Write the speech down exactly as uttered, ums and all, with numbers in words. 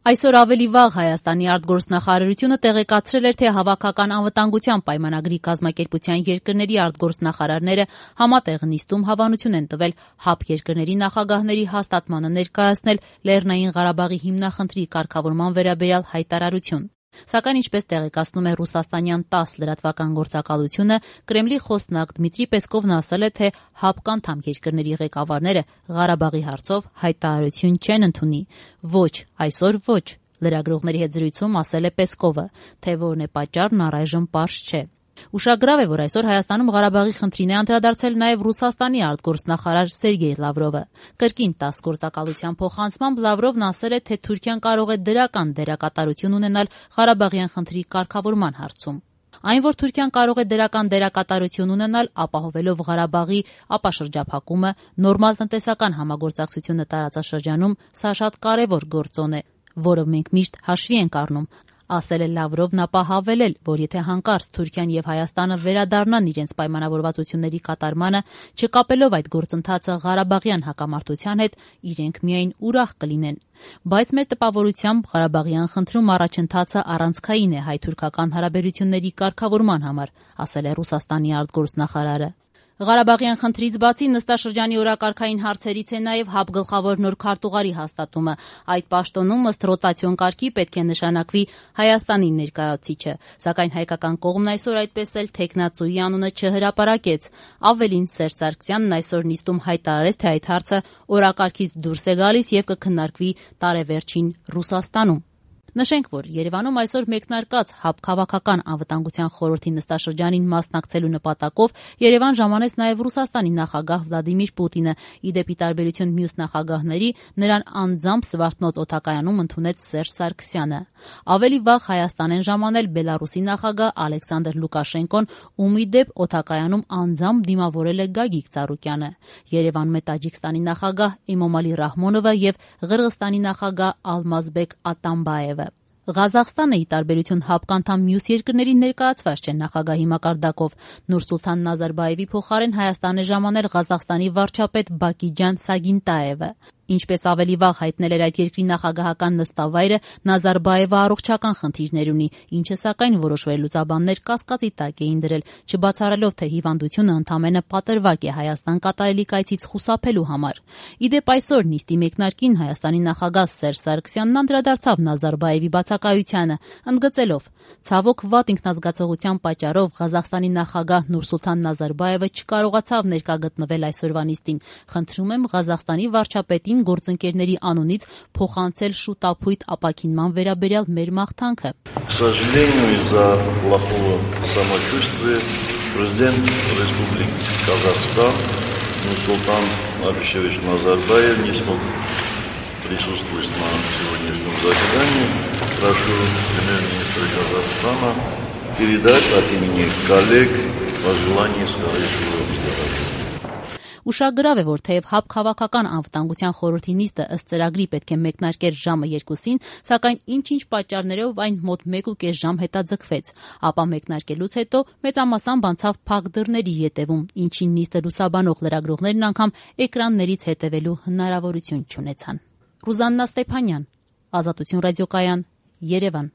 Այսօր ավելի վաղ Հայաստանի արտգործնախարարությունը տեղեկացրել էր, թե հավաքական անվտանգության պայմանագրի կազմակերպության երկրների արտգործնախարարները համատեղ նիստում հավանություն են տվել ՀԱՊ երկրների նախագահների հաստատմանը ներկայացնել Լեռնային Ղարաբաղի հիմնախնդրի կարգավորման վերաբերյալ հայտարարություն։ Սակայն, ինչպես տեղեկացնում է ռուսաստանյան տաս լրատվական գործակալությունը, Կրեմլի խոսնակ Դմիտրի Պեսկովն ասել է, թե ՀԱՊ անդամ երկրների ղեկավարները Ղարաբաղի հարցով հայտարարություն չեն ընդունի։ Ոչ, այսօր ոչ, լրագրողների հետ զրույցում ասել է Պեսկովը, թե որն է պատճառն առայժմ պարզ չէ։ Ուշագրավ է, որ այսօր Հայաստանում Ղարաբաղի խնդրին է անդրադարձել նաև Ռուսաստանի արտգործնախարար Սերգեյ Լավրովը։ Կրկին տաս գործակալության փոխանցմամբ Լավրովն ասել է, թե Թուրքիան կարող է դրական դերակատարություն ունենալ Ղարաբաղյան խնդրի կարգավորման հարցում։ Այն, որ Թուրքիան կարող է դրական դերակատարություն ունենալ, ապահովելով Ղարաբաղի ապաշրջափակումը, նորմալ տնտեսական համագործակցությունը տարածաշրջանում, սա շատ կարևոր գործոն է, որը մենք միշտ հաշվի ենք առնում, ասել է Լավրովն, ապա հավելել, որ եթե հանկարծ Թուրքիան եւ Հայաստանը վերադառնան իրենց պայմանավորվածությունների կատարմանը, չկապելով այդ գործընթացը Ղարաբաղյան հակամարտության հետ, իրենք միայն ուրախ կլինեն։ Բայց մեր տպավորությամբ Ղարաբաղյան խնդրում առաջընթացը առանցքային է հայ-թուրքական հարաբերությունների կարգավորման համար, ասել է Ռուսաստանի արտգործնախարարը։ Ղարաբաղյան խնդրից բացի նստաշրջանի օրակարգային հարցերից է նաև ՀԱՊ գլխավոր նոր քարտուղարի հաստատումը։ Այդ պաշտոնում ըստ ռոտացիոն կարգի պետք է նշանակվի Հայաստանի ներկայացուցիչը, սակայն հայկական կողմն այսօր այդպես էլ թեկնածուի անունը չհրապարակեց։ Ավելին, Սերժ Սարգսյանն այսօր նիստում հայտարարեց, թե այդ հարցը օրակարգից դուրս է գալիս եւ կքննարկվի տարեվերջին Ռուսաստանում։ Նշենք, որ Երևանում այսօր մեկնարկած ՀԱՊ քաղաքական անվտանգության խորհրդի նստաշրջանին մասնակցելու նպատակով Երևան ժամանեց նաև Ռուսաստանի նախագահ Վլադիմիր Պուտինը, ի դեպ ի տարբերություն մյուս նախագահների, նրան անձամբ Սվարթնոց օդակայանում ընդունեց Սերժ Սարգսյանը։ Ավելի վաղ Հայաստան են ժամանել Բելարուսի նախագահ Ալեքսանդր Լուկաշենկոն, ում ի դեպ օդակայանում անձամբ դիմավորել է Գագիկ Ծառուկյանը։ Երևանում է Տաջիկստանի նախագահ Էմոմալի Ռահմոնովը եւ Ղրղստանի նախագահ Ալմազբեկ Ատամբաևը։ Ղազախստանը, ի տարբերություն ՀԱՊ անդամ մյուս երկրների, ներկայացված չէ նախագահի մակարդակով։ Նուրսուլթան Նազարբաևի փոխարեն Հայաստան է ժամանել Ղազախստանի վարչապետ Բակիջան Սագինտաևը։ Ինչպես ավելի վաղ հայտնել էր այդ երկրի նախագահական նստավայրը, Նազարբաևը առողջական խնդիրներ ունի, ինչը սակայն որոշ վերլուծաբաններ կասկածի տակ էին դրել, չբացառելով, թե հիվանդությունը ընդամենը պատրվակ է Հայաստան կատարելիք այցից խուսափելու համար։ Ի դեպ այսօր նիստի մեկնարկին Հայաստանի նախագահ Սերժ Սարգսյանն անդրադարձավ Նազարբաևի բացակայությանը, ընդգծելով. «Ցավոք վատ ինքնազգացողության պատճառով Ղազախստանի նախագահ Նուրսուլթան Նազարբաևը չկարողացավ ներկա գտնվել այսօրվա նիստին։ Խնդրում եմ Ղազախստանի վարչապետին գործընկերների անունից փոխանցել շուտապույտ ապաքինման վերաբերյալ մեր մաղթանքը»։ К сожалению, из-за плохого самочувствия президент Республики Казахстан Нурсултан Абишевич Назарбаев не смог присутствовать на сегодняшнем заседании. Прошу премьер-министра Казахстана передать от имени коллег пожелания скорейшего выздоровления. Ուշագրավ է, որ թեև ՀԱՊ քաղաքական անվտանգության խորհրդի նիստը ըստ ծրագրի պետք է մեկնարկեր ժամը երկուսին, սակայն ինչ-ինչ պատճառներով այն մոտ մեկ ու կես ժամ հետաձգվեց, ապա մեկնարկելուց հետո մեծամասամբ անցավ փակ դռների ետևում, ինչին նիստը լուսաբանող լրագրողներն անգամ էկրաններից հետևելու հնարավորություն չունեցան։ Ռուզաննա Ստեփանյան, Ազատություն ռադիոկայան, Երևան։